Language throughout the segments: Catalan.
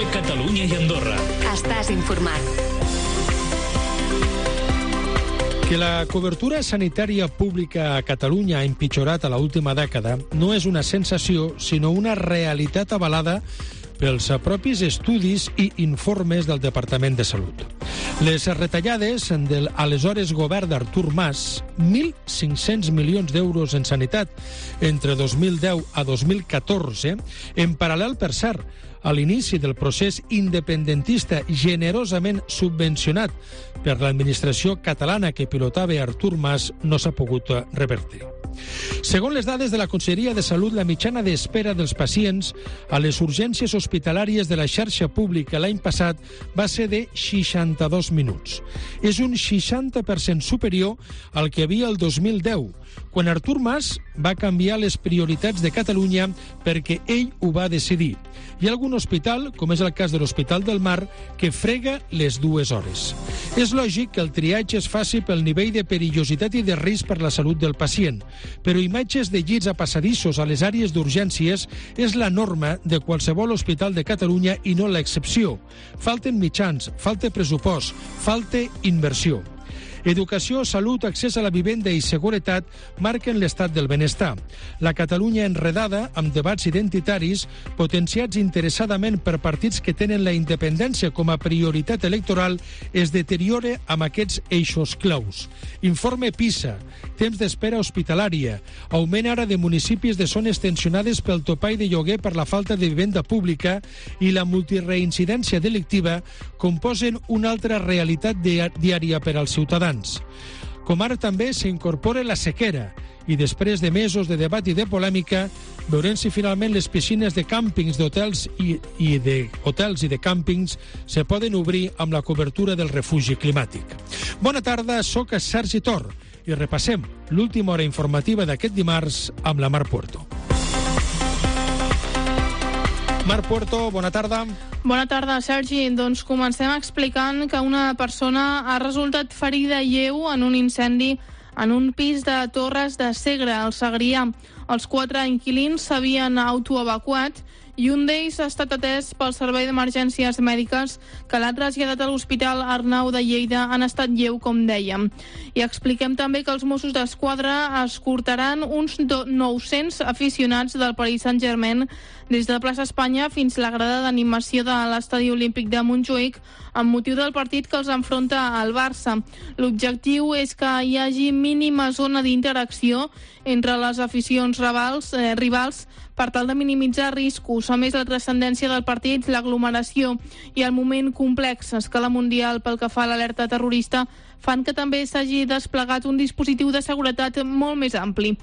TV Catalunya i Andorra. Estàs informat. Que la cobertura sanitària pública a Catalunya ha empitjorat a l'última dècada no és una sensació, sinó una realitat avalada pels propis estudis i informes del Departament de Salut. Les retallades de l'aleshores govern d'Artur Mas, 1.500 milions d'euros en sanitat entre 2010 a 2014, en paral·lel, per cert, a l'inici del procés independentista generosament subvencionat per l'administració catalana que pilotava Artur Mas, no s'ha pogut revertir. Segons les dades de la Conselleria de Salut, la mitjana d'espera dels pacients a les urgències hospitalàries de la xarxa pública l'any passat va ser de 62 minuts. És un 60% superior al que havia el 2010, quan Artur Mas va canviar les prioritats de Catalunya perquè ell ho va decidir. Hi ha algun hospital, com és el cas de l'Hospital del Mar, que frega les 2 hores. És lògic que el triatge es faci pel nivell de perillositat i de risc per la salut del pacient, però imatges de llits a passadissos a les àrees d'urgències és la norma de qualsevol hospital de Catalunya i no l'excepció. Falten mitjans, falta pressupost, falta inversió. Educació, salut, accés a la vivenda i seguretat marquen l'estat del benestar. La Catalunya enredada amb debats identitaris potenciats interessadament per partits que tenen la independència com a prioritat electoral es deteriora amb aquests eixos claus. Informe PISA, temps d'espera hospitalària, augment ara de municipis de zones tensionades pel topall de lloguer per la falta de vivenda pública i la multireincidència delictiva composen una altra realitat diària per als ciutadans. Com ara també s'incorpora la sequera i després de mesos de debat i de polèmica veurem si finalment les piscines de càmpings d'hotels i de càmpings se poden obrir amb la cobertura del refugi climàtic. Bona tarda, soc Sergi Tor i repassem l'última hora informativa d'aquest dimarts amb la Mar Puerto. Mar Puerto, bona tarda. Bona tarda, Sergi. Doncs comencem explicant que una persona ha resultat ferida lleu en un incendi en un pis de Torres de Segre, al Segrià. Els 4 inquilins s'havien autoevacuat i un d'ells ha estat atès pel Servei d'Emergències Mèdiques, que l'ha traslladat a l'Hospital Arnau de Lleida en estat lleu, com dèiem. I expliquem també que els Mossos d'Esquadra escortaran uns 900 aficionats del Paris Saint-Germain des de la plaça Espanya fins a la grada d'animació de l'Estadi Olímpic de Montjuïc amb motiu del partit que els enfronta al Barça. L'objectiu és que hi hagi mínima zona d'interacció entre les aficions rivals per tal de minimitzar riscos. A més, la transcendència del partit, l'aglomeració i el moment complex a escala mundial pel que fa a l'alerta terrorista fan que també s'hagi desplegat un dispositiu de seguretat molt més ampli.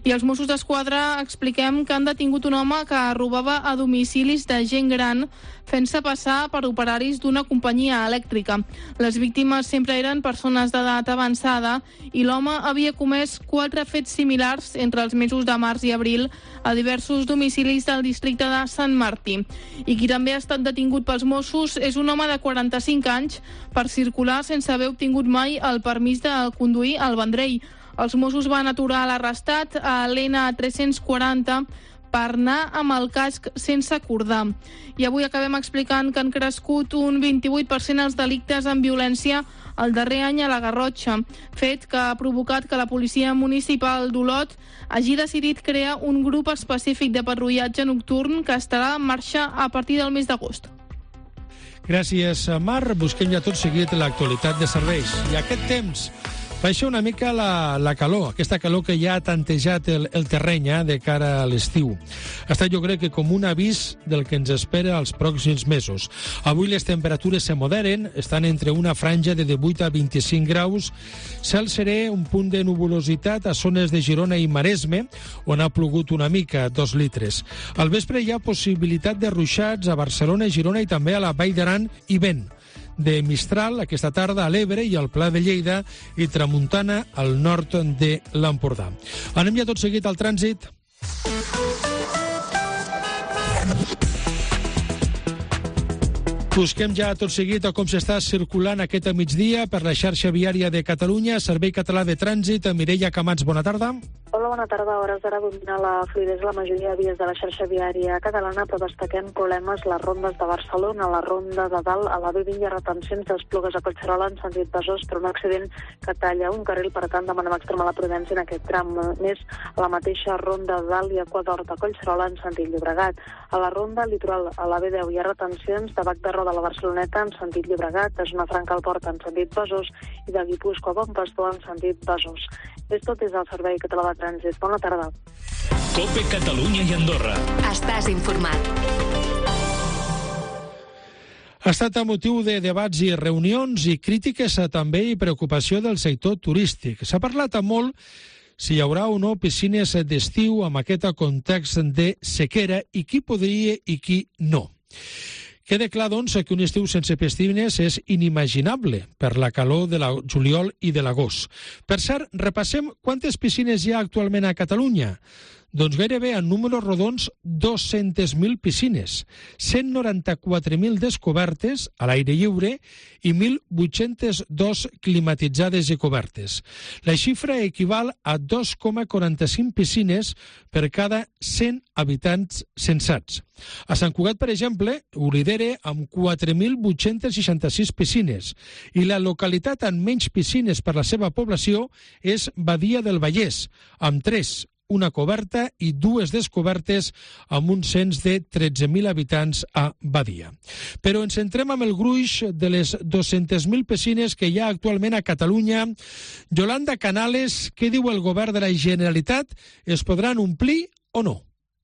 I els Mossos d'Esquadra expliquem que han detingut un home que robava a domicilis de gent gran fent-se passar per operaris d'una companyia elèctrica. Les víctimes sempre eren persones d'edat avançada i l'home havia comès 4 fets similars entre els mesos de març i abril a diversos domicilis del districte de Sant Martí. I qui també ha estat detingut pels Mossos és un home de 45 anys per circular sense haver obtingut mai el permís de conduir al Vendrell. Els Mossos van aturar l'arrestat a l'N340 per anar amb el casc sense acordar. I avui acabem explicant que han crescut un 28% els delictes amb violència el darrer any a la Garrotxa, fet que ha provocat que la policia municipal d'Olot hagi decidit crear un grup específic de patrullatge nocturn que estarà en marxa a partir del mes d'agost. Gràcies, Mar. Busquem ja tot seguit l'actualitat de serveis. I aquest temps baixa una mica la calor, aquesta calor que ja ha tantejat el terreny de cara a l'estiu. Ha estat, jo crec, que com un avís del que ens espera els pròxims mesos. Avui les temperatures se moderen, estan entre una franja de 18 a 25 graus, cel serè, un punt de nuvolositat a zones de Girona i Maresme, on ha plogut una mica, 2 litres. Al vespre hi ha possibilitat de ruixats a Barcelona, Girona i també a la Vall d'Aran i vent de mistral aquesta tarda a l'Ebre i al Pla de Lleida i tramuntana al nord de l'Empordà. Anem ja tot seguit al trànsit. Busquem ja tot seguit a com s'està circulant aquest migdia per la xarxa viària de Catalunya. Servei Català de Trànsit. Mireia Camats, bona tarda. Hola, bona tarda. A hores d'ara domina la fluïdesa la majoria de vies de la xarxa viària catalana, però destaquem problemes les rondes de Barcelona, la ronda de dalt, a la B20 hi ha retencions d'Esplugues a Collserola en sentit Besòs per un accident que talla un carril, per tant demanem extremar la prudència en aquest tram. Més, a la mateixa ronda de dalt i a Quadort a Collserola en sentit Llobregat. A la ronda litoral, a la B10 hi ha retencions de Bac de Roda a la Barceloneta en sentit Llobregat, de Zona Franca al Port en sentit Besòs i de Guipúscoa a Bon Pastor en sentit Besòs. És tot des del Servei Català de Trànsit. Bona tarda. COPE Catalunya i Andorra. Estàs informat. Ha estat a motiu de debats i reunions i crítiques també i preocupació del sector turístic. S'ha parlat molt si hi haurà o no piscines d'estiu amb aquest context de sequera i qui podria i qui no. Queda clar, doncs, que un estiu sense piscines és inimaginable per la calor de la juliol i de l'agost. Per cert, repassem quantes piscines hi ha actualment a Catalunya. Doncs gairebé en números rodons 200.000 piscines, 194.000 descobertes a l'aire lliure i 1.802 climatitzades i cobertes. La xifra equival a 2,45 piscines per cada 100 habitants censats. A Sant Cugat, per exemple, ho lidera amb 4.866 piscines i la localitat amb menys piscines per la seva població és Badia del Vallès, amb 3, una coberta i 2 descobertes amb un cens de 13.000 habitants a Badia. Però ens centrem amb el gruix de les 200.000 piscines que hi ha actualment a Catalunya. Yolanda Canales, què diu el govern de la Generalitat? Es podran omplir o no?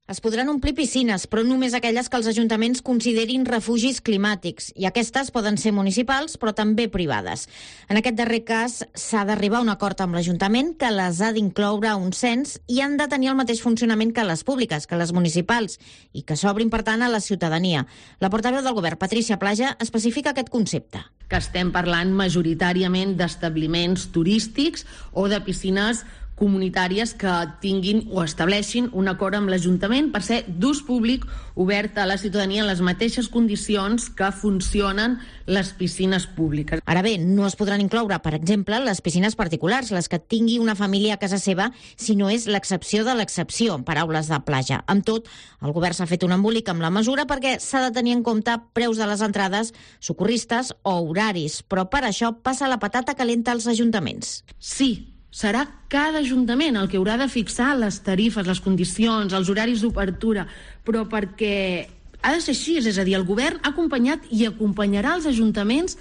Es podran omplir piscines, però només aquelles que els ajuntaments considerin refugis climàtics. I aquestes poden ser municipals, però també privades. En aquest darrer cas, s'ha d'arribar a un acord amb l'Ajuntament que les ha d'incloure a un cens i han de tenir el mateix funcionament que les públiques, que les municipals, i que s'obrin, per tant, a la ciutadania. La portaveu del govern, Patricia Plaja, especifica aquest concepte. Que estem parlant majoritàriament d'establiments turístics o de piscines comunitàries que tinguin o estableixin un acord amb l'Ajuntament per ser d'ús públic obert a la ciutadania en les mateixes condicions que funcionen les piscines públiques. Ara bé, no es podran incloure, per exemple, les piscines particulars, les que tingui una família a casa seva, si no és l'excepció de l'excepció, en paraules de Plaja. Amb tot, el govern s'ha fet un embolic amb la mesura perquè s'ha de tenir en compte preus de les entrades, socorristes o horaris, però per això passa la patata calenta als ajuntaments. Sí, serà cada ajuntament el que haurà de fixar les tarifes, les condicions, els horaris d'obertura, però perquè ha de ser així, és a dir, el govern ha acompanyat i acompanyarà els ajuntaments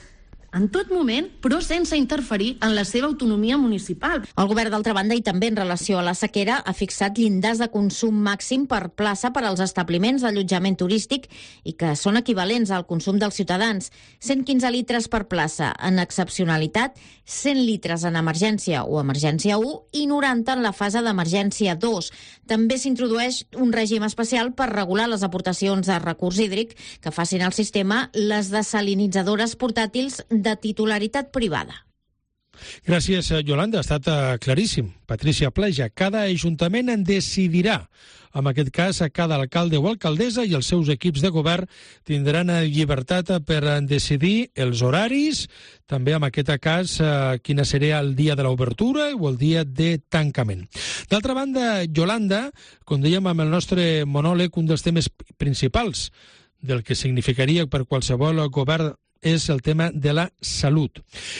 en tot moment, però sense interferir en la seva autonomia municipal. El govern, d'altra banda, i també en relació a la sequera, ha fixat llindars de consum màxim per plaça per als establiments d'allotjament turístic i que són equivalents al consum dels ciutadans. 115 litres per plaça en excepcionalitat, 100 litres en emergència o emergència 1 i 90 en la fase d'emergència 2. També s'introdueix un règim especial per regular les aportacions de recurs hídric que facin al sistema les desalinitzadores portàtils de titularitat privada. Gràcies, Yolanda. Ha estat claríssim. Patricia Plaja, cada ajuntament en decidirà. En aquest cas, cada alcalde o alcaldessa i els seus equips de govern tindran llibertat per decidir els horaris, també en aquest cas quina seria el dia de l'obertura o el dia de tancament. D'altra banda, Yolanda, com dèiem amb el nostre monòleg, un dels temes principals del que significaria per qualsevol govern és el tema de la salut.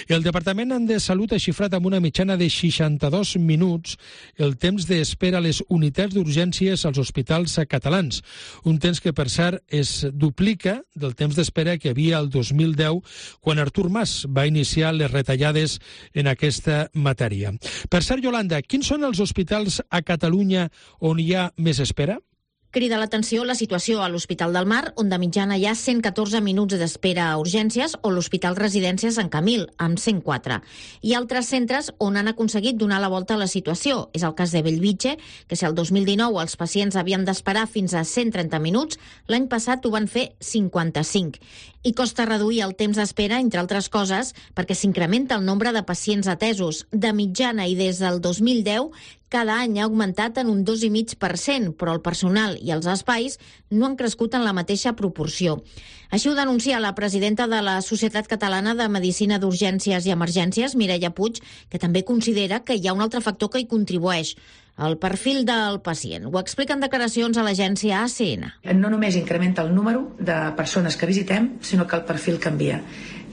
El Departament de Salut ha xifrat amb una mitjana de 62 minuts el temps d'espera a les unitats d'urgències als hospitals catalans. Un temps que, per cert, es duplica del temps d'espera que hi havia el 2010, quan Artur Mas va iniciar les retallades en aquesta matèria. Per cert, Yolanda, quins són els hospitals a Catalunya on hi ha més espera? Crida l'atenció la situació a l'Hospital del Mar, on de mitjana hi ha 114 minuts d'espera a urgències, o l'Hospital Residència Sant Camil, amb 104. Hi ha altres centres on han aconseguit donar la volta a la situació. És el cas de Bellvitge, que si el 2019 els pacients havien d'esperar fins a 130 minuts, l'any passat ho van fer 55. I costa reduir el temps d'espera, entre altres coses, perquè s'incrementa el nombre de pacients atesos. De mitjana i des del 2010, cada any ha augmentat en un 2,5%, però el personal i els espais no han crescut en la mateixa proporció. Així ho denuncia la presidenta de la Societat Catalana de Medicina d'Urgències i Emergències, Mireia Puig, que també considera que hi ha un altre factor que hi contribueix, el perfil del pacient. Ho explica en declaracions a l'agència ACN. No només incrementa el número de persones que visitem, sinó que el perfil canvia.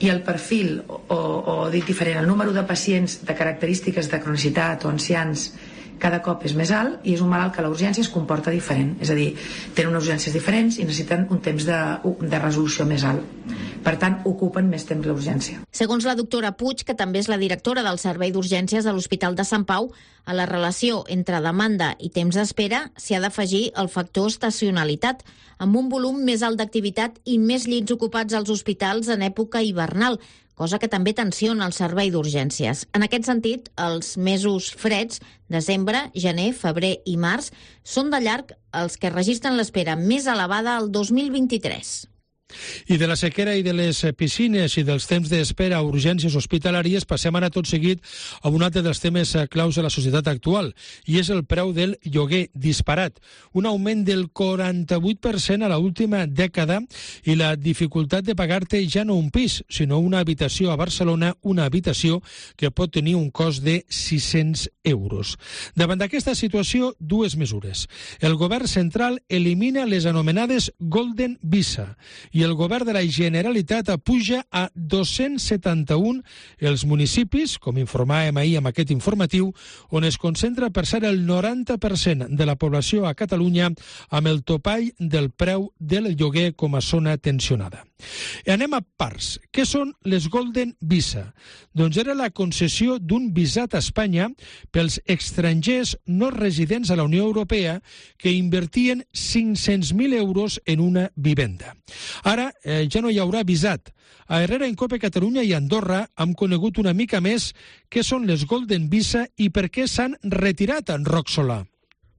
I el perfil, o dit diferent, el número de pacients de característiques de cronicitat o ancians cada cop és més alt i és un malalt que la urgència es comporta diferent. És a dir, tenen unes urgències diferents i necessiten un temps de resolució més alt. Per tant, ocupen més temps l'urgència. Segons la doctora Puig, que també és la directora del Servei d'Urgències de l'Hospital de Sant Pau, a la relació entre demanda i temps d'espera s'hi ha d'afegir el factor estacionalitat, amb un volum més alt d'activitat i més llits ocupats als hospitals en època hivernal, cosa que també tensiona el servei d'urgències. En aquest sentit, els mesos freds, desembre, gener, febrer i març, són de llarg els que registren l'espera més elevada al 2023. I de la sequera i de les piscines i dels temps d'espera a urgències hospitalàries passem ara tot seguit a un altre dels temes claus de la societat actual, i és el preu del lloguer disparat. Un augment del 48% a l'última dècada i la dificultat de pagar-te ja no un pis, sinó una habitació a Barcelona, una habitació que pot tenir un cost de 600 euros. Davant d'aquesta situació, dues mesures. El govern central elimina les anomenades Golden Visa i el govern de la Generalitat apuja a 271 els municipis, com informàvem ahir amb aquest informatiu, on es concentra per ser el 90% de la població a Catalunya amb el topall del preu del lloguer com a zona tensionada. I anem a parts. Què són les Golden Visa? Doncs era la concessió d'un visat a Espanya pels estrangers no residents a la Unió Europea que invertien 500.000 euros en una vivenda. Ara ja no hi haurà visat. A Herrera, en Cope Catalunya i Andorra hem conegut una mica més què són les Golden Visa i per què s'han retirat en Roc Solà.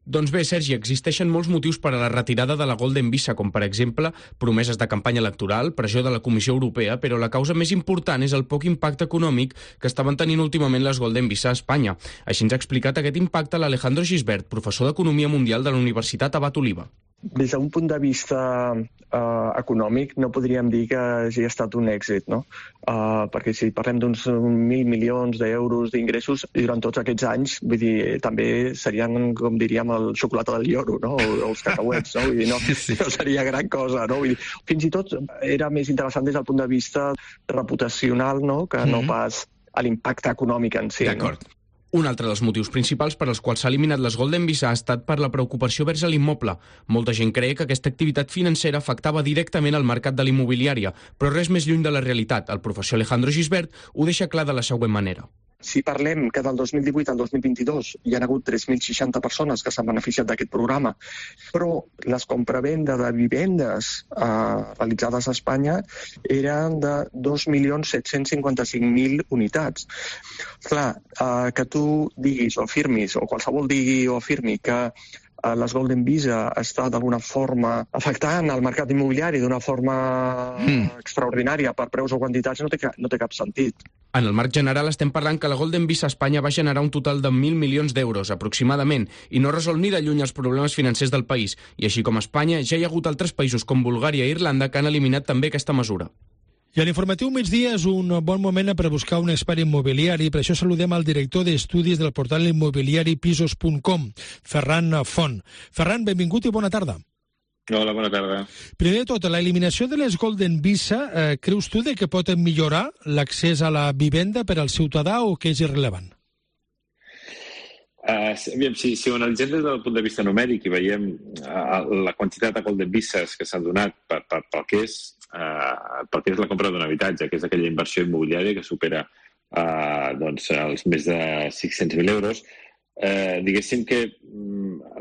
Doncs bé, Sergi, existeixen molts motius per a la retirada de la Golden Visa, com per exemple promeses de campanya electoral, pressió de la Comissió Europea, però la causa més important és el poc impacte econòmic que estaven tenint últimament les Golden Visa a Espanya. Així ens ha explicat aquest impacte l'Alejandro Gisbert, professor d'Economia Mundial de la Universitat Abat Oliva. Des d'un punt de vista econòmic no podríem dir que hagi estat un èxit, no? Perquè si parlem d'uns 1.000 milions d'euros d'ingressos durant tots aquests anys, vull dir, també serien, com diríem, el xocolata del lloro, no? O els cacauets, no? Vull dir, no seria gran cosa, no? Vull dir, fins i tot era més interessant des del punt de vista reputacional, no? Que no pas a l'impacte econòmic en si. D'acord. No? Un altre dels motius principals per als quals s'ha eliminat les Golden Visa ha estat per la preocupació vers l'immoble. Molta gent creia que aquesta activitat financera afectava directament al mercat de l'immobiliària, però res més lluny de la realitat. El professor Alejandro Gisbert ho deixa clar de la següent manera. Si parlem que del 2018 al 2022 hi ha hagut 3.060 persones que s'han beneficiat d'aquest programa, però les compravenda de vivendes realitzades a Espanya eren de 2.755.000 unitats. Clar, que tu diguis o afirmis, o qualsevol digui o afirmi que les Golden Visa està d'alguna forma afectant el mercat immobiliari d'una forma extraordinària per preus o quantitats no té cap sentit. En el marc general estem parlant que la Golden Visa a Espanya va generar un total de 1.000 milions d'euros, aproximadament, i no resol ni de lluny els problemes financers del país. I així com a Espanya, ja hi ha hagut altres països com Bulgària i Irlanda que han eliminat també aquesta mesura. I a l'informatiu migdia és un bon moment per buscar un expert immobiliari. Per això saludem al director d'estudis del portal immobiliari pisos.com, Ferran Font. Ferran, benvingut i bona tarda. Hola, bona tarda. Primer de tot, la eliminació de les Golden Visa, creus tu que pot millorar l'accés a la vivenda per al ciutadà o que és irrellevant? Si ho analitzem des del punt de vista numèric i veiem la quantitat de Golden Visas que s'han donat pel que és la compra d'un habitatge, que és aquella inversió immobiliària que supera els més de 600.000 euros, diguéssim que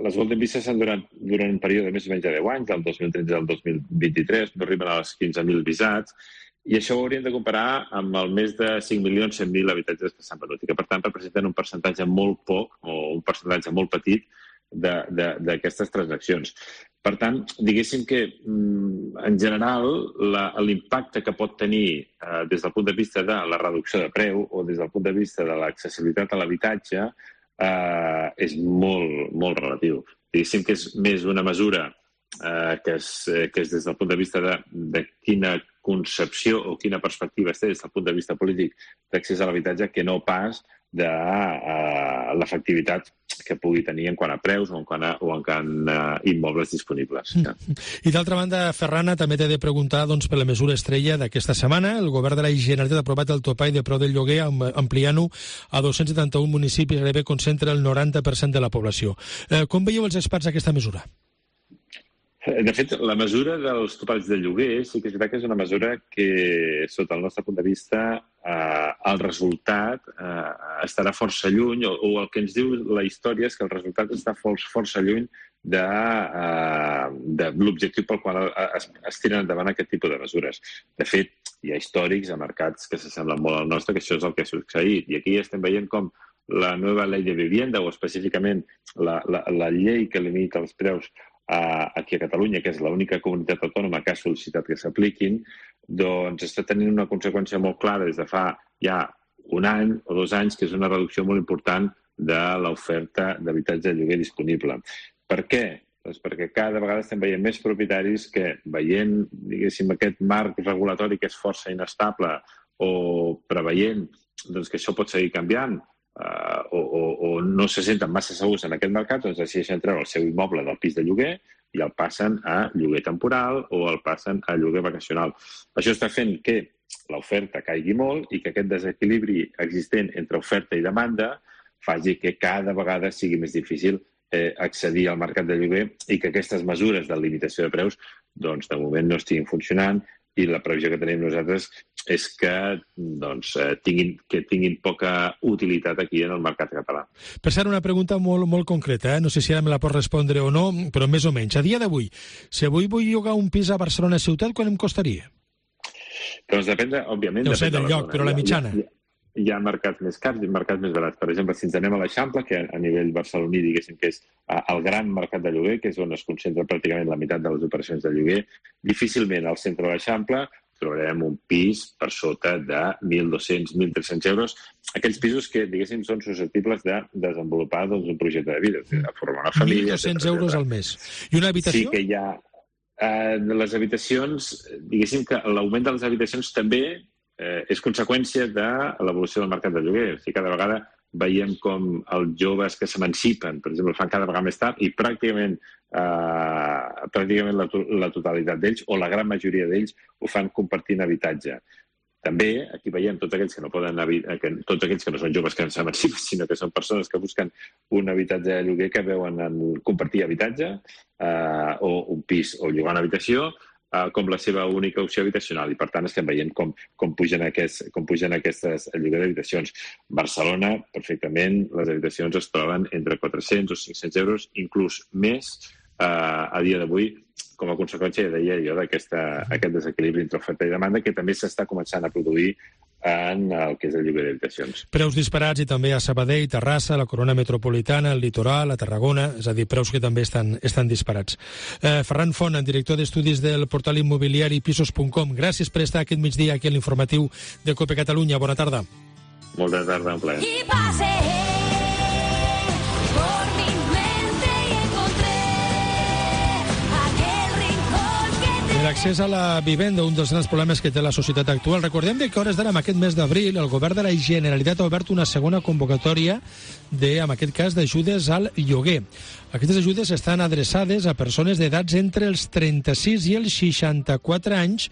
les Golden Visas s'han donat durant un període de més o menys de 10 anys, del 2013 al 2023, no arriben a les 15.000 visats, i això ho hauríem de comparar amb el més de 5.100.000 habitatges que s'han venut i que, per tant, representen un percentatge molt poc o un percentatge molt petit d'aquestes transaccions. Per tant, diguéssim que, en general, l'impacte que pot tenir des del punt de vista de la reducció de preu o des del punt de vista de l'accessibilitat a l'habitatge és molt, molt relatiu. Diguéssim que és més una mesura que és des del punt de vista de quina concepció o quina perspectiva es té des del punt de vista polític d'accés a l'habitatge que no pas de l'efectivitat que pugui tenir en quant a preus o en quant a immobles disponibles. I d'altra banda, Ferran, també t'he de preguntar per la mesura estrella d'aquesta setmana. El govern de la Generalitat ha aprovat el topall de preu del lloguer ampliant-ho a 271 municipis, gairebé concentra el 90% de la població. Com veieu els experts aquesta mesura? De fet, la mesura dels topalls de lloguer sí que és veritat que és una mesura que, sota el nostre punt de vista, el resultat estarà força lluny, o el que ens diu la història és que el resultat està força lluny de l'objectiu pel qual es tiren endavant aquest tipus de mesures. De fet, hi ha històrics a mercats que s'assemblen molt al nostre, que això és el que ha succeït. I aquí estem veient com la nova llei de vivienda, o específicament la llei que limita els preus aquí a Catalunya, que és l'única comunitat autònoma que ha sol·licitat que s'apliquin, doncs està tenint una conseqüència molt clara des de fa ja un any o 2 anys, que és una reducció molt important de l'oferta d'habitatge de lloguer disponible. Per què? Doncs perquè cada vegada estem veient més propietaris que, veient, diguéssim, aquest marc regulatori que és força inestable o preveient que això pot seguir canviant, o no se senten massa segurs en aquest mercat, doncs decideixen treure el seu immoble del pis de lloguer i el passen a lloguer temporal o el passen a lloguer vacacional. Això està fent que l'oferta caigui molt i que aquest desequilibri existent entre oferta i demanda faci que cada vegada sigui més difícil accedir al mercat de lloguer i que aquestes mesures de limitació de preus doncs, de moment no estiguin funcionant, i la previsió que tenim nosaltres és que tinguin poca utilitat aquí en el mercat català. Per cert, una pregunta molt concreta, no sé si ara me la pots respondre o no, però més o menys. A dia d'avui, si avui vull llogar un pis a Barcelona ciutat, quan em costaria? Doncs depèn, òbviament... No sé del lloc, però la mitjana. Hi ha mercats més cars i mercats més barats. Per exemple, si ens anem a l'Eixample, que a nivell barceloní, diguéssim que és el gran mercat de lloguer, que és on es concentra pràcticament la meitat de les operacions de lloguer, difícilment al centre de l'Eixample trobarem un pis per sota de 1.200, 1.300 euros. Aquells pisos que, diguéssim, són susceptibles de desenvolupar un projecte de vida, de formar una família... 1.200 euros al mes. I una habitació? Sí que hi ha... Les habitacions, diguéssim que l'augment de les habitacions també és conseqüència de l'evolució del mercat de lloguer. O sigui, cada vegada veiem com els joves que s'emancipen, per exemple, fan cada vegada més tard i pràcticament la totalitat d'ells, o la gran majoria d'ells, ho fan compartint habitatge. També aquí veiem tots aquells que no poden tots aquells que no són joves que s'emancipen, sinó que són persones que busquen un habitatge de lloguer que veuen en compartir habitatge o un pis o llogar una habitació com la seva única opció habitacional, i per tant estem veient com pugen aquestes lloguer d'habitacions. Barcelona, perfectament, les habitacions es troben entre 400 o 500 euros, inclús més a dia d'avui, com a conseqüència, ja deia jo, d'aquest desequilibri entre oferta i demanda, que també s'està començant a produir en el que és el lloguer d'habitacions. Preus disparats i també a Sabadell, Terrassa, la Corona Metropolitana, el Litoral, a Tarragona, és a dir, preus que també estan disparats. Ferran Font, director d'estudis del portal immobiliari pisos.com, gràcies per estar aquest migdia aquí a l'informatiu de COPE Catalunya. Bona tarda. Bona tarda, un plaer. L'accés a la vivenda, un dels grans problemes que té la societat actual. Recordem que a hores d'ara, en aquest mes d'abril, el govern de la Generalitat ha obert una segona convocatòria en aquest cas, d'ajudes al lloguer. Aquestes ajudes estan adreçades a persones d'edats entre els 36 i els 64 anys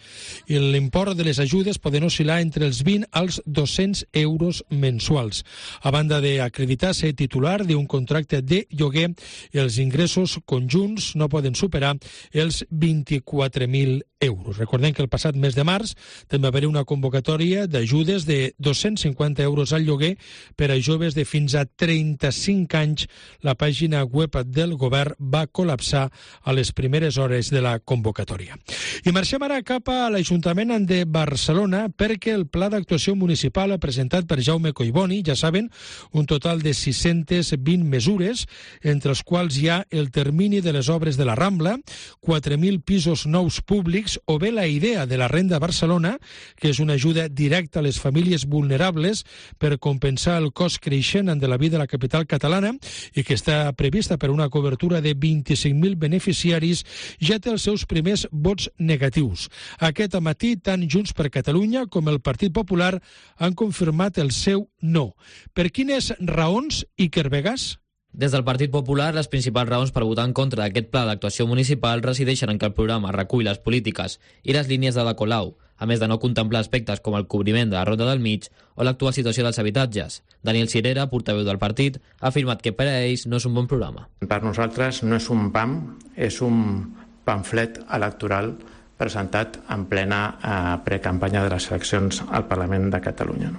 i l'import de les ajudes poden oscil·lar entre els 20 als 200 euros mensuals. A banda d'acreditar-se titular d'un contracte de lloguer, els ingressos conjunts no poden superar els 24.000 euros. Recordem que el passat mes de març també va haver una convocatòria d'ajudes de 250 euros al lloguer per a joves de fins a 35 anys. La pàgina web del govern va col·lapsar a les primeres hores de la convocatòria. I marxem ara cap a l'Ajuntament de Barcelona perquè el pla d'actuació municipal ha presentat per Jaume Collboni, ja saben, un total de 620 mesures, entre els quals hi ha el termini de les obres de la Rambla, 4.000 pisos nous públics econòmics, o bé la idea de la Renda Barcelona, que és una ajuda directa a les famílies vulnerables per compensar el cost creixent de la vida a la capital catalana i que està prevista per una cobertura de 25.000 beneficiaris, ja té els seus primers vots negatius. Aquest matí, tant Junts per Catalunya com el Partit Popular han confirmat el seu no. Per quines raons, Iker Vegas? Des del Partit Popular, les principals raons per votar en contra d'aquest pla d'actuació municipal resideixen en que el programa recull les polítiques i les línies d'Ada Colau, a més de no contemplar aspectes com el cobriment de la Ronda del Mig o l'actual situació dels habitatges. Daniel Cirera, portaveu del partit, ha afirmat que per a ells no és un bon programa. Per nosaltres no és un PAM, és un pamflet electoral presentat en plena precampanya de les eleccions al Parlament de Catalunya.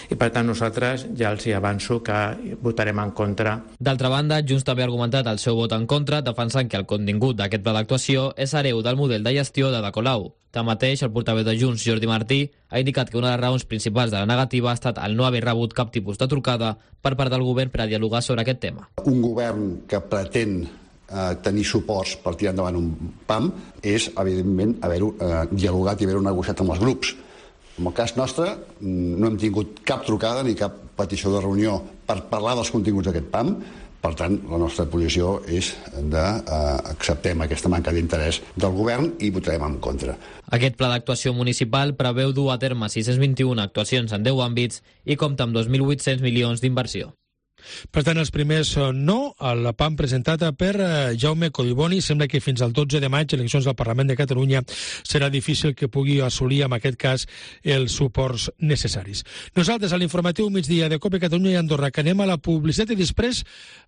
I per tant nosaltres ja els hi avanço que votarem en contra. D'altra banda, Junts també ha argumentat el seu vot en contra, defensant que el contingut d'aquest pla d'actuació és hereu del model de gestió d'Ada Colau. Tanmateix, el portaveu de Junts, Jordi Martí, ha indicat que una de les raons principals de la negativa ha estat el no haver rebut cap tipus de trucada per part del govern per a dialogar sobre aquest tema. Un govern que pretén tenir suports per tirar endavant un PAM és, evidentment, haver-ho dialogat i haver-ho negociat amb els grups. En el cas nostre, no hem tingut cap trucada ni cap petició de reunió per parlar dels continguts d'aquest PAM. Per tant, la nostra posició és d'acceptem aquesta manca d'interès del govern i votarem en contra. Aquest pla d'actuació municipal preveu dur a terme 621 actuacions en 10 àmbits i compta amb 2.800 milions d'inversió. Per tant, els primers no al PAM presentat per Jaume Collboni. Sembla que fins al 12 de maig, eleccions del Parlament de Catalunya, serà difícil que pugui assolir, en aquest cas, els suports necessaris. Nosaltres, a l'informatiu migdia de COPE Catalunya i Andorra, que anem a la publicitat i després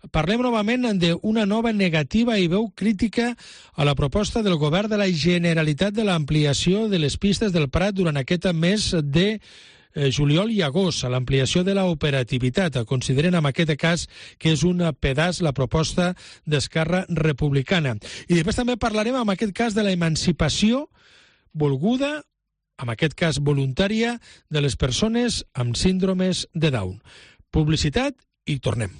parlem novament d'una nova negativa i veu crítica a la proposta del govern de la Generalitat de l'ampliació de les pistes del Prat durant aquest mes de juliol i agost, a l'ampliació de l'operativitat. Consideren en aquest cas que és un pedaç la proposta d'Esquerra Republicana. I després també parlarem en aquest cas de la emancipació volguda, en aquest cas voluntària, de les persones amb síndromes de Down. Publicitat i tornem.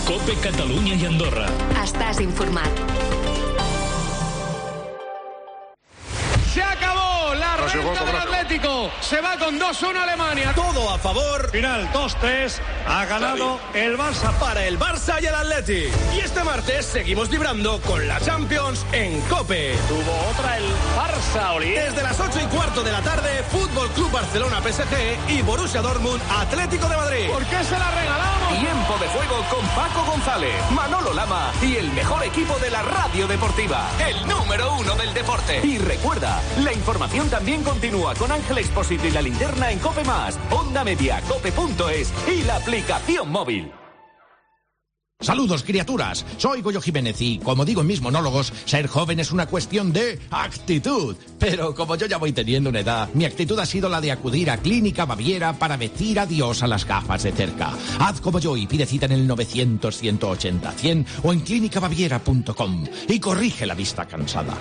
COPE Catalunya i Andorra. Estàs informat. ¡Se acabó! La renta del Atlético se va con 2-1 Alemania. Todo a favor. Final 2-3. Ha ganado el Barça. Para el Barça y el Atleti. Y este martes seguimos vibrando con la Champions en COPE. Tuvo otra el Barça, Oli. Desde las 8:15 de la tarde, Fútbol Club Barcelona PSG y Borussia Dortmund Atlético de Madrid. ¿Por qué se la regalamos? Tiempo de juego con Paco González, Manolo Lama y el mejor equipo de la radio deportiva. El número 1 del deporte. Y recuerda, la información también continúa con Ángel Expósito y la linterna en COPE+, Onda Media, cope.es y la aplicación móvil. Saludos, criaturas. Soy Goyo Jiménez y, como digo en mis monólogos, ser joven es una cuestión de actitud. Pero como yo ya voy teniendo una edad, mi actitud ha sido la de acudir a Clínica Baviera para decir adiós a las gafas de cerca. Haz como yo y pide cita en el 900-180-100 o en clinicabaviera.com y corrige la vista cansada.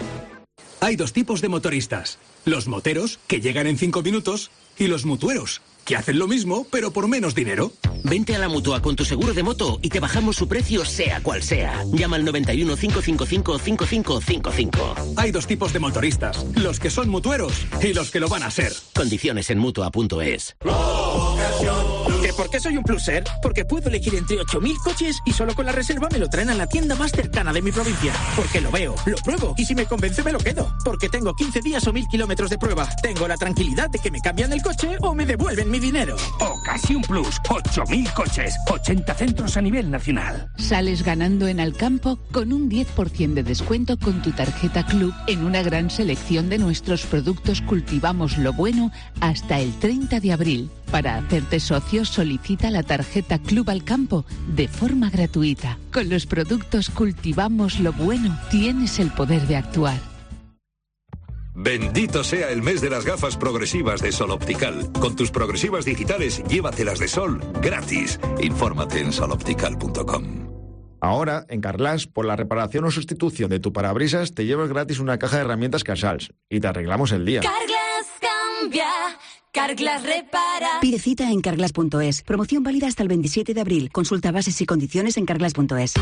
Hay dos tipos de motoristas. Los moteros, que llegan en 5 minutos, y los mutueros, que hacen lo mismo, pero por menos dinero. Vente a la Mutua con tu seguro de moto y te bajamos su precio sea cual sea. Llama al 91 555 5555. Hay dos tipos de motoristas, los que son mutueros y los que lo van a ser. Condiciones en Mutua.es. ¿Que por qué soy un pluser? Porque puedo elegir entre 8.000 coches y solo con la reserva me lo traen a la tienda más cercana de mi provincia. Porque lo veo, lo pruebo y si me convence me lo quedo. Porque tengo 15 días o 1.000 kilómetros de prueba. Tengo la tranquilidad de que me cambian el coche o me devuelven mi dinero. Ocasión Plus, 8.000 coches, 80 centros a nivel nacional. Sales ganando en Alcampo con un 10% de descuento con tu tarjeta Club en una gran selección de nuestros productos Cultivamos lo Bueno hasta el 30 de abril. Para hacerte socio, solicita la tarjeta Club Alcampo de forma gratuita. Con los productos Cultivamos lo Bueno tienes el poder de actuar. Bendito sea el mes de las gafas progresivas de Sol Optical. Con tus progresivas digitales, llévatelas de sol gratis. Infórmate en soloptical.com. Ahora, en Carglass, por la reparación o sustitución de tu parabrisas, te llevas gratis una caja de herramientas Casals y te arreglamos el día. Carglass cambia, Carglass repara. Pide cita en carglass.es. Promoción válida hasta el 27 de abril. Consulta bases y condiciones en carglass.es.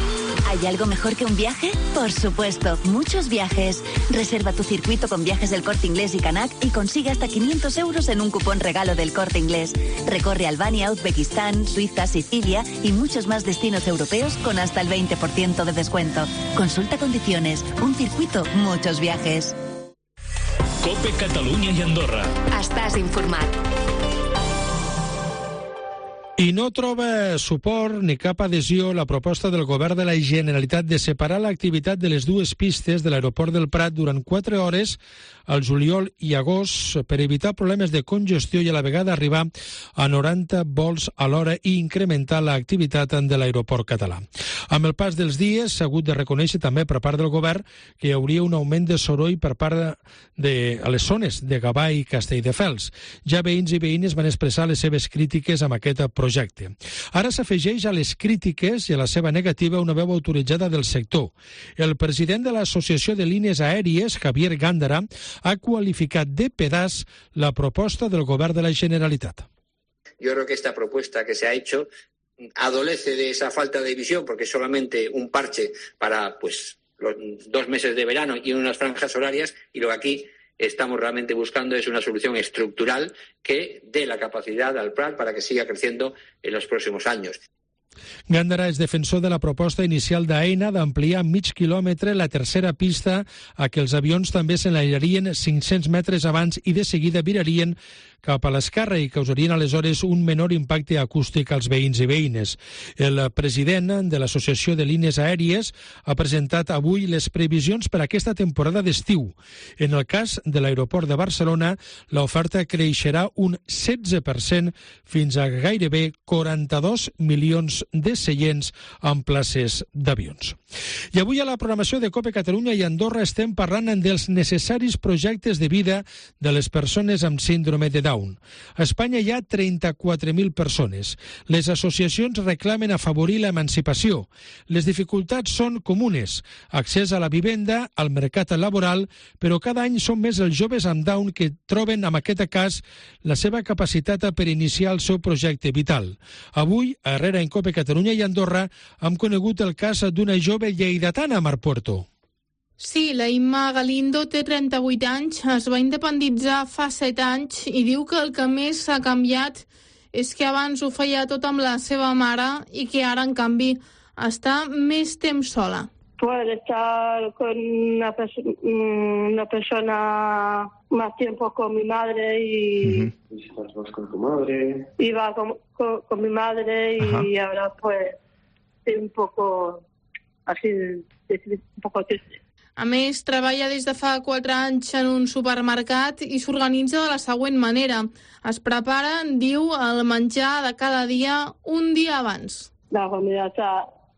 ¿Hay algo mejor que un viaje? Por supuesto, muchos viajes. Reserva tu circuito con Viajes del Corte Inglés y Canac y consigue hasta 500 euros en un cupón regalo del Corte Inglés. Recorre Albania, Uzbekistán, Suiza, Sicilia y muchos más destinos europeos con hasta el 20% de descuento. Consulta condiciones. Un circuito, muchos viajes. COPE Catalunya i Andorra. Estàs informat. I no troba suport ni cap adhesió la proposta del govern de la Generalitat de separar l'activitat de les dues pistes de l'aeroport del Prat durant 4 hores al juliol i agost per evitar problemes de congestió i a la vegada arribar a 90 vols a l'hora i incrementar l'activitat de l'aeroport català. Amb el pas dels dies s'ha hagut de reconèixer també per part del govern que hi hauria un augment de soroll per part a les zones de Gavà i Castelldefels. Ja veïns i veïnes van expressar les seves crítiques amb aquest projecte. Ara s'afegeix a les crítiques i a la seva negativa una veu autoritzada del sector. El president de l'Associació de Línies Aèries, Javier Gándara, ha cualificat de pedaç la proposta del govern de la Generalitat. Yo creo que esta propuesta que se ha hecho adolece de esa falta de visión porque es solamente un parche para los 2 meses de verano y unas franjas horarias, y lo que aquí estamos realmente buscando es una solución estructural que dé la capacidad al Prat para que siga creciendo en los próximos años. Gándara és defensor de la proposta inicial d'AENA d'ampliar mig quilòmetre la tercera pista a què els avions també s'enlairarien 500 metres abans i de seguida virarien cap a l'esquerra i causarien aleshores un menor impacte acústic als veïns i veïnes. El president de l'Associació de Línies Aèries ha presentat avui les previsions per a aquesta temporada d'estiu. En el cas de l'aeroport de Barcelona, l'oferta creixerà un 16% fins a gairebé 42 milions de seients en places d'avions. I avui a la programació de COPE Catalunya i Andorra estem parlant dels necessaris projectes de vida de les persones amb síndrome de Down. A Espanya hi ha 34.000 persones. Les associacions reclamen afavorir l'emancipació. Les dificultats són comunes. Accés a la vivenda, al mercat laboral, però cada any són més els joves amb Down que troben, en aquest cas, la seva capacitat per iniciar el seu projecte vital. Avui, a Herrera en COPE Catalunya i Andorra, hem conegut el cas d'una jove lleidatana a Marpuerto. Sí, la Imma Galindo té 38 anys, es va independitzar fa 7 anys i diu que el que més s'ha canviat és que abans ho feia tot amb la seva mare i que ara, en canvi, està més temps sola. Poder estar con una persona más tiempo con mi madre y... ¿Visitas más con tu madre? Iba con mi madre y ahora pues estoy un poco así, un poco triste. A més, treballa des de fa 4 anys en un supermercat i s'organitza de la següent manera. Es prepara, diu, el menjar de cada dia un dia abans. La comida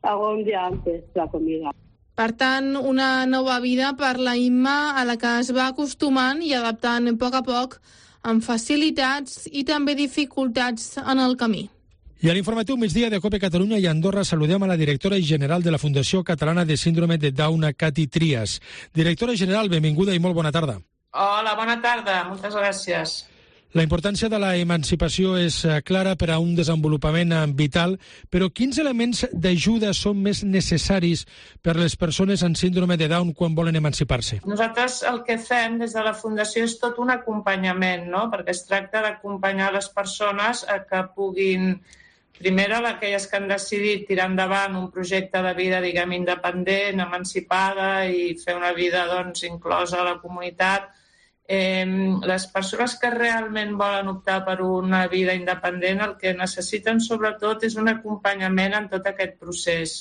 hago un día antes, la comida. Per tant, una nova vida per la Imma a la que es va acostumant i adaptant a poc, amb facilitats i també dificultats en el camí. I a l'informatiu migdia de COPE Catalunya i Andorra saludem a la directora general de la Fundació Catalana de Síndrome de Down, Cati Trias. Directora general, benvinguda i molt bona tarda. Hola, bona tarda, moltes gràcies. La importància de la emancipació és clara per a un desenvolupament vital, però quins elements d'ajuda són més necessaris per a les persones amb síndrome de Down quan volen emancipar-se? Nosaltres el que fem des de la Fundació és tot un acompanyament, no? Perquè es tracta d'acompanyar les persones a que puguin, primer aquelles que han decidit tirar endavant un projecte de vida, diguem, independent, emancipada i fer una vida, doncs, inclosa a la comunitat. Les persones que realment volen optar per una vida independent el que necessiten sobretot és un acompanyament en tot aquest procés,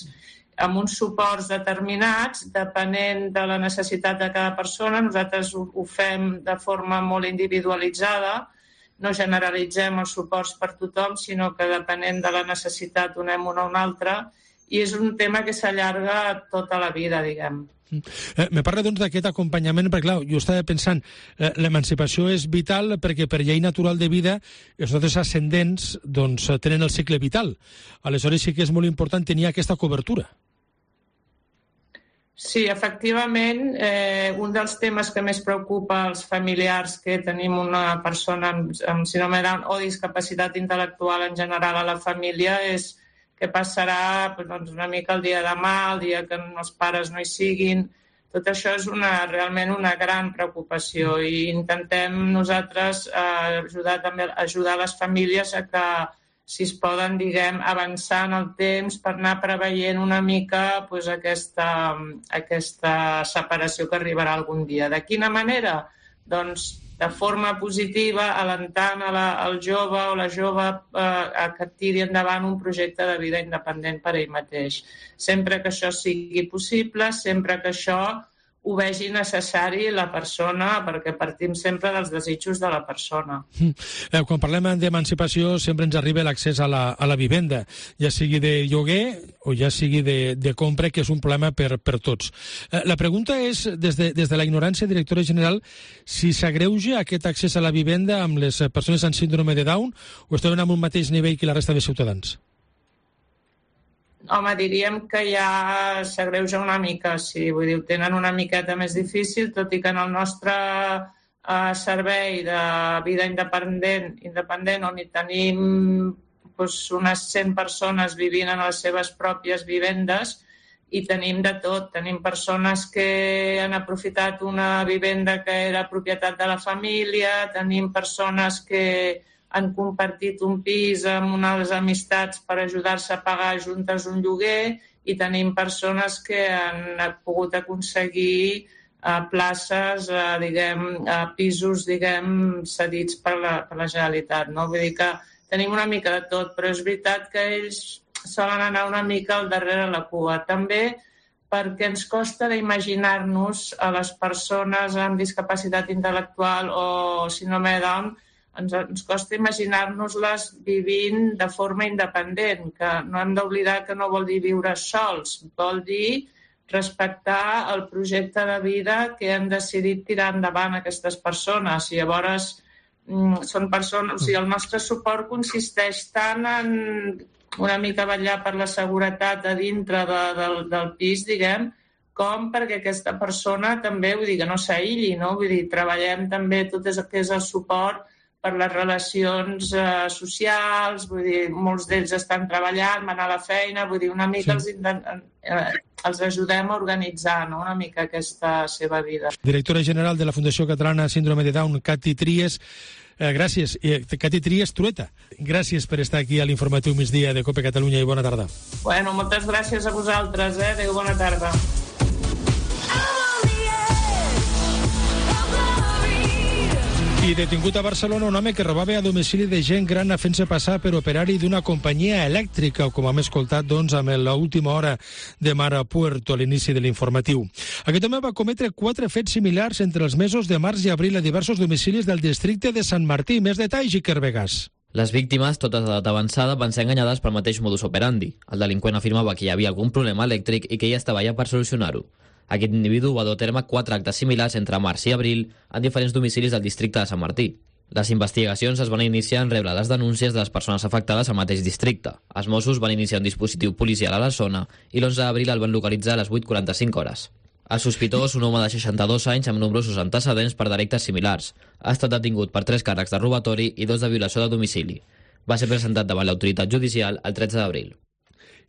amb uns suports determinats, depenent de la necessitat de cada persona. Nosaltres ho fem de forma molt individualitzada, no generalitzem els suports per tothom, sinó que depenent de la necessitat donem una o una altra, i és un tema que s'allarga tota la vida, diguem. Me parla doncs d'aquest acompanyament, perquè clar, jo estava pensant, l'emancipació és vital perquè per llei natural de vida els nostres ascendents doncs, tenen el cicle vital. Aleshores sí que és molt important tenir aquesta cobertura. Sí, efectivament, un dels temes que més preocupa als familiars que tenim una persona amb síndrome de Down o discapacitat intel·lectual en general a la família és què passarà una mica el dia de demà, el dia que els pares no hi siguin. Tot això és realment una gran preocupació i intentem nosaltres ajudar les famílies a que, si es poden, avançar en el temps per anar preveient una mica aquesta separació que arribarà algun dia. De quina manera? Doncs de forma positiva, alentant el jove o la jove a que tiri endavant un projecte de vida independent per ell mateix. Sempre que això sigui possible, sempre que això ho vegi necessari la persona, perquè partim sempre dels desitjos de la persona. Quan parlem d'emancipació sempre ens arriba l'accés a la vivenda, ja sigui de lloguer o ja sigui de compra, que és un problema per tots. La pregunta és, des de la ignorància, directora general, si s'agreuja aquest accés a la vivenda amb les persones amb síndrome de Down o estem en un mateix nivell que la resta de ciutadans? Home, diríem que ja s'agreuja una mica, sí. Vull dir, ho tenen una miqueta més difícil, tot i que en el nostre servei de vida independent on hi tenim unes 100 persones vivint en les seves pròpies vivendes, i tenim de tot. Tenim persones que han aprofitat una vivenda que era propietat de la família, tenim persones que han compartit un pis amb unes amistats per ajudar-se a pagar juntes un lloguer, i tenim persones que han pogut aconseguir places, pisos, cedits per la Generalitat. Vull dir que tenim una mica de tot, però és veritat que ells solen anar una mica al darrere la cua. També perquè ens costa d'imaginar-nos a les persones amb discapacitat intel·lectual o síndrome de Down, ens costa imaginar-nos-les vivint de forma independent, que no hem d'oblidar que no vol dir viure sols, vol dir respectar el projecte de vida que han decidit tirar endavant aquestes persones. I llavors són persones... O sigui, el nostre suport consisteix tant en una mica vetllar per la seguretat a dintre del pis, com perquè aquesta persona també, vull dir, que no s'aïlli, no? Vull dir, treballem també tot el que és el suport per les relacions socials, vull dir, molts d'ells estan treballant, van a la feina, vull dir, una mica els ajudem a organitzar, no?, una mica aquesta seva vida. Directora general de la Fundació Catalana Síndrome de Down, Cati Tries, gràcies. Cati Tries Trueta, gràcies per estar aquí a l'informatiu migdia de COPE Catalunya i bona tarda. Bueno, moltes gràcies a vosaltres, adéu, bona tarda. I detingut a Barcelona un home que robava a domicili de gent gran fent-se passar per operari d'una companyia elèctrica, com hem escoltat amb l'última hora de Mara Puerto a l'inici de l'informatiu. Aquest home va cometre 4 fets similars entre els mesos de març i abril a diversos domicilis del districte de Sant Martí. Més detalls, Iker Vegas. Les víctimes, totes d'edat avançada, van ser enganyades pel mateix modus operandi. El delinqüent afirmava que hi havia algun problema elèctric i que ell estava allà per solucionar-ho. Aquest individu va dur a terme 4 actes similars entre març i abril en diferents domicilis del districte de Sant Martí. Les investigacions es van iniciar en rebre les denúncies de les persones afectades al mateix districte. Els Mossos van iniciar un dispositiu policial a la zona i l'11 d'abril el van localitzar a les 8:45 hores. El sospitós, un home de 62 anys amb nombrosos antecedents per delictes similars, ha estat detingut per 3 càrrecs de robatori i 2 de violació de domicili. Va ser presentat davant l'autoritat judicial el 13 d'abril.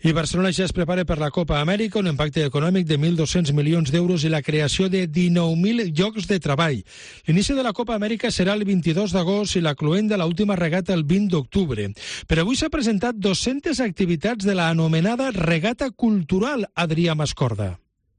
I Barcelona ja es prepara per la Copa Amèrica, un impacte econòmic de 1.200 milions d'euros i la creació de 19.000 llocs de treball. L'inici de la Copa Amèrica serà el 22 d'agost i la cloent de l'última regata el 20 d'octubre. Però avui s'ha presentat 200 activitats de la anomenada regata cultural, Adrià Mascorda.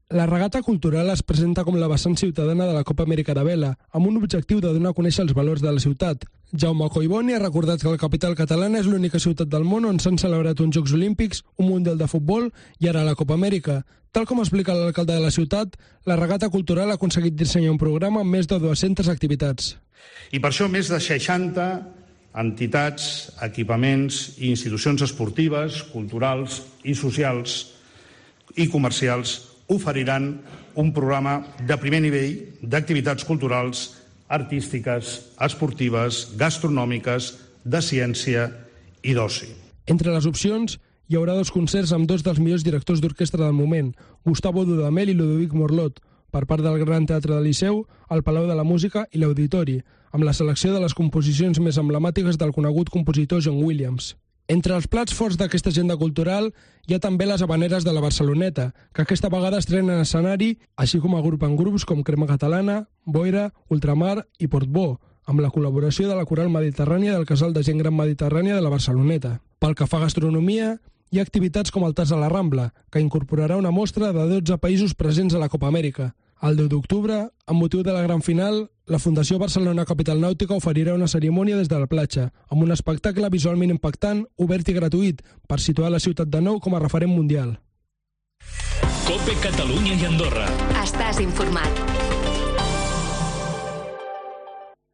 La regata cultural es presenta com la vessant ciutadana de la Copa Amèrica de Vela, amb un objectiu de donar a conèixer els valors de la ciutat. Jaume Collboni ha recordat que la capital catalana és l'única ciutat del món on s'han celebrat uns Jocs Olímpics, un Mundial de Futbol i ara la Copa Amèrica. Tal com explica l'alcalde de la ciutat, la regata cultural ha aconseguit dissenyar un programa amb més de 200 activitats. I per això més de 60 entitats, equipaments i institucions esportives, culturals i socials i comercials oferiran un programa de primer nivell d'activitats culturals, artístiques, esportives, gastronòmiques, de ciència i d'oci. Entre les opcions hi haurà 2 concerts amb 2 dels millors directors d'orquestra del moment, Gustavo Dudamel i Ludovic Morlot, per part del Gran Teatre del Liceu, el Palau de la Música i l'Auditori, amb la selecció de les composicions més emblemàtiques del conegut compositor John Williams. Entre els plats forts d'aquesta agenda cultural hi ha també les habaneres de la Barceloneta, que aquesta vegada estrenen escenari, així com agrupen grups com Crema Catalana, Boira, Ultramar i Portbó, amb la col·laboració de la Coral Mediterrània del Casal de Gent Gran Mediterrània de la Barceloneta. Pel que fa a gastronomia, hi ha activitats com el Tas a la Rambla, que incorporarà una mostra de 12 països presents a la Copa Amèrica. El 10 d'octubre, amb motiu de la gran final, la Fundació Barcelona Capital Nàutica oferirà una cerimònia des de la platja, amb un espectacle visualment impactant, obert i gratuït, per situar la ciutat de nou com a referent mundial. COPE Catalunya i Andorra. Estàs informat.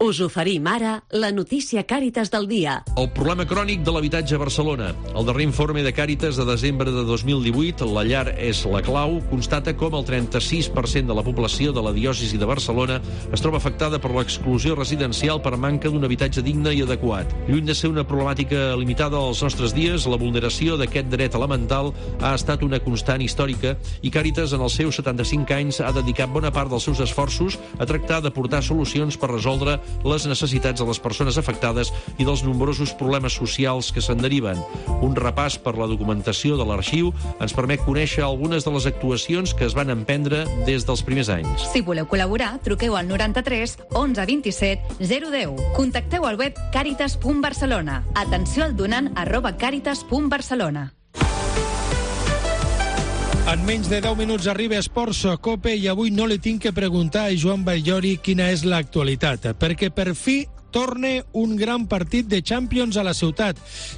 Us oferim ara la notícia Càritas del dia. El problema crònic de l'habitatge a Barcelona. El darrer informe de Càritas de desembre de 2018, La llar és la clau, constata com el 36% de la població de la diòcesi de Barcelona es troba afectada per l'exclusió residencial per manca d'un habitatge digne i adequat. Lluny de ser una problemàtica limitada als nostres dies, la vulneració d'aquest dret elemental ha estat una constant històrica i Càritas en els seus 75 anys ha dedicat bona part dels seus esforços a tractar d'aportar solucions per resoldre les necessitats de les persones afectades i dels nombrosos problemes socials que se'n deriven. Un repàs per la documentació de l'arxiu ens permet conèixer algunes de les actuacions que es van emprendre des dels primers anys. Si voleu col·laborar, truqueu al 93 11 27 010. Contacteu al web caritas.barcelona. Atenció al donant @caritas.barcelona. En menys de 10 minuts arriba Esports Cope i avui no li tinc que preguntar a Joan Batllori quina és l'actualitat, perquè per fi torna un gran partit de Champions a la ciutat.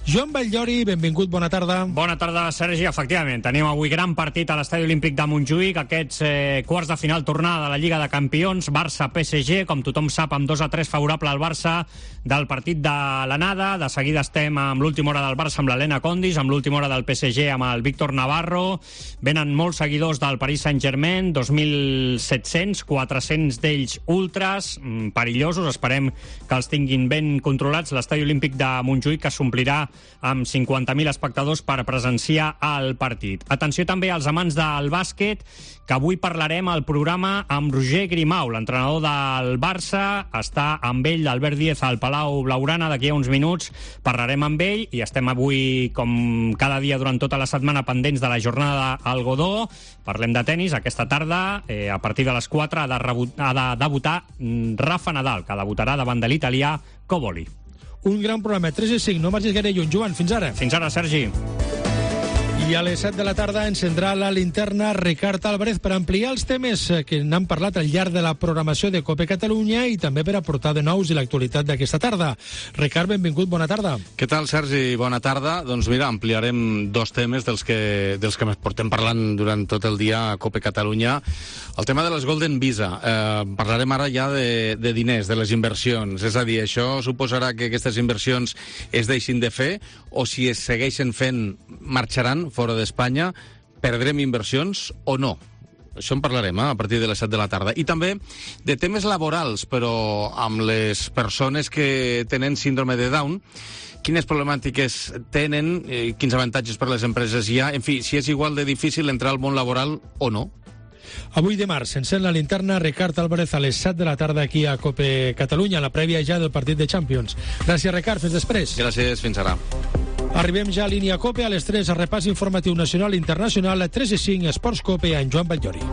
Joan Batllori, benvingut, bona tarda. Bona tarda, Sergi. Efectivament, tenim avui gran partit a l'Estadi Olímpic de Montjuïc, aquests quarts de final tornada de la Lliga de Campions, Barça-PSG, com tothom sap, amb 2-3 favorable al Barça del partit de l'anada. De seguida estem amb l'última hora del Barça amb l'Helena Condis, amb l'última hora del PSG amb el Víctor Navarro. Venen molts seguidors del Paris Saint-Germain, 2.700, 400 d'ells ultras, perillosos. Esperem que els tinguin ben controlats. L'Estadi Olímpic de Montjuïc, que s'omplirà amb 50.000 espectadors per presenciar el partit. Atenció també als amants del bàsquet, que avui parlarem al programa amb Roger Grimau, l'entrenador del Barça. Està amb ell Albert Díez al Palau Blaugrana d'aquí a uns minuts. Parlarem amb ell i estem avui, com cada dia durant tota la setmana, pendents de la jornada al Godó. Parlem de tennis. Aquesta tarda, a partir de les 4, ha de debutar Rafa Nadal, que debutarà davant de l'italià Coboli. Un gran programa, 3-5, no marxis gaire lluny. Joan, fins ara. Fins ara, Sergi. I a les 7 de la tarda encendrà la linterna Ricard Álvarez per ampliar els temes que n'han parlat al llarg de la programació de COPE Catalunya i també per aportar de nous i l'actualitat d'aquesta tarda. Ricard, benvingut, bona tarda. Què tal, Sergi? Bona tarda. Doncs mira, ampliarem 2 temes dels que portem parlant durant tot el dia a COPE Catalunya. El tema de les Golden Visa. Parlarem ara ja de diners, de les inversions. És a dir, això suposarà que aquestes inversions es deixin de fer o si es segueixen fent marxaran fora d'Espanya, perdrem inversions o no? Això en parlarem a partir de les 7 de la tarda. I també de temes laborals, però amb les persones que tenen síndrome de Down, quines problemàtiques tenen, quins avantatges per a les empreses hi ha, en fi, si és igual de difícil entrar al món laboral o no. Avui dimarts s'encén la linterna Ricard Álvarez a les 7 de la tarda aquí a COPE Catalunya, la prèvia ja del partit de Champions. Gràcies, Ricard. Fins després. Gràcies. Fins ara. Arribem ja a línia COPE a les 3, a repàs informatiu nacional i internacional, a 3-5, Esports COPE, amb Joan Batllori.